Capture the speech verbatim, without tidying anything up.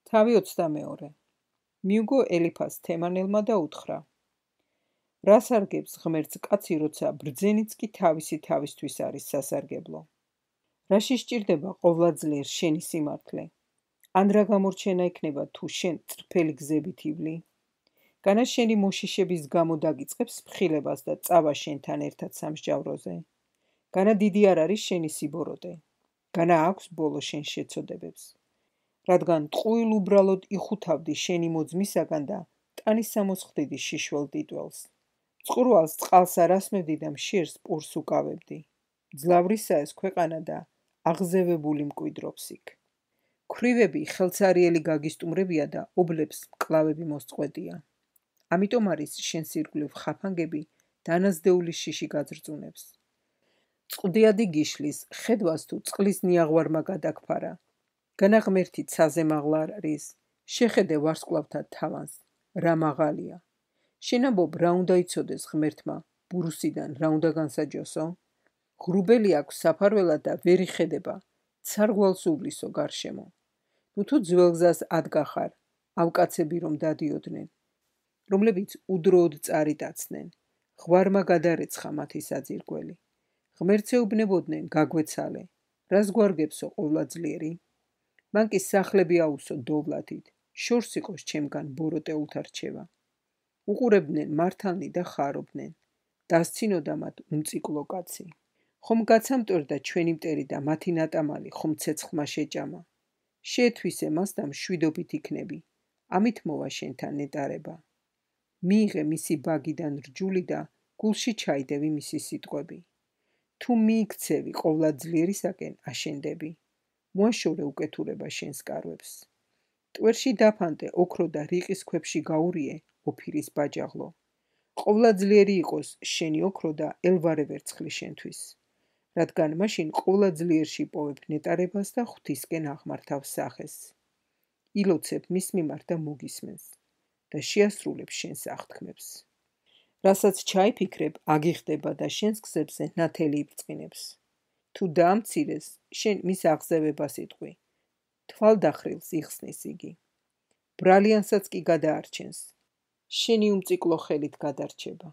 თავი ოცდამეორე. მიუგო ელიფას თემანელმა და უთხრა: რას არგებს ღმერთს კაცი, როცა ბრძენიც კი თავისი თავისთვის არის სასარგებლო? რაში სჭირდება ყოვლადწლიერ შენი სიმართლე? ან რა გამორჩენა იქნება თუ შენ წრფელი გზებით ივლი? განა შენი მოშიშების გამო დაგიწყებს ფხილებას და წავა შენთან ერთად სამსჯავროზე? განა დიდი არ არის შენი სიბოროტე? განა აქვს ბოლო შენ შეცოდებებს? რადგან ტყუილ უბრალოდ იხუთავდი შენი მოძმისაგან და ტანის სამოსხდიდი შიშველს დიტველს. წყურვალს წყალს არ ასმევდი და მშიერს პურს უკავებდი. ძლავრისა ეს ქვეყანა და აღზევებული მკვიდრობს იქ. ქვრივები ხელცარიელი გაგისტუმრებია და ობლებს მკლავები მოსწყვეტია. ამიტომ არის შენს ირგვლივ ხაფანგები დანაზდეული შიში გაძრწუნებს. წყდიადი გიშლის ხედვას თუ წყლის ნიაღვარმა გადაგფარა. განა ღმერთი ცაზე მაღლა არ არის, შეხედე ვარსკვლავთა თავანს, რა მაღალია. შენამბობ რა უნდა იცოდეს ღმერთმა, ბურუსიდან რა უნდა განსაჯოსო? ღრუბელი აქვს საფარველად და ვერ იხედება, ცარგვალს უვლისო გარშემო. ნუ თუ ძველ გზას ადგახარ, ავკაცები რომ დადიოდნენ, რომლებიც უდროოდ წარიტაცნენ, ღვარმა გადარეცხა მათი საძირკველი. ღმერთს ეუბნებოდნენ გაგვეცალე, რას გვარგებსო ყოვლადწლიერი? მან კი სახლები აუსო დოვლათით, შორს იყოს ჩემგან ბოროტეულთა რჩევა. უყურებდნენ მართალნი და ხარობდნენ, დასცინოდა მათ უმციკლო კაცი. ხომ გაცამტვერდა ჩვენი მტერი და მათი ნატამალი ხომ ცეცხლმა შეჭამა. შეეთვისე მას და მშვიდობით იქნები, ამით მოვა შენთან ნეტარება. მიიღე მისი ბაგიდან რჯული და გულში ჩაიდევი მისი სიტყვები. თუ მიიქცევი ყოვლადძლიერისაკენ აშენდები. მოაშორე უკეთურება შენს კარვებს. ტვერში დაფანტე ოქრო და რიყის ქვებში გაურიე ოფირის ბაჯაღლო. ყოვლადძლიერი იყოს შენი ოქრო და ელვარე ვერცხლი შენთვის. რადგან მაშინ ყოვლადძლიერში პოვებ ნეტარებას და ღვთისკენ აღმართავ სახეს. ილოცებ მის მიმართ და მოგისმენს და შეასრულებ შენს აღთქმებს. რასაც ჩაიფიქრებ, აგიხდება და შენს გზებზე ნათელი იბწყინებს. თუ დაამცირეს, შენ მის აღზევებას იტყვი. თვალდახრილს იხსნის იგი. ბრალიანსაც კი გადაარჩენს. შენი უმციკლო ხელით გადარჩება.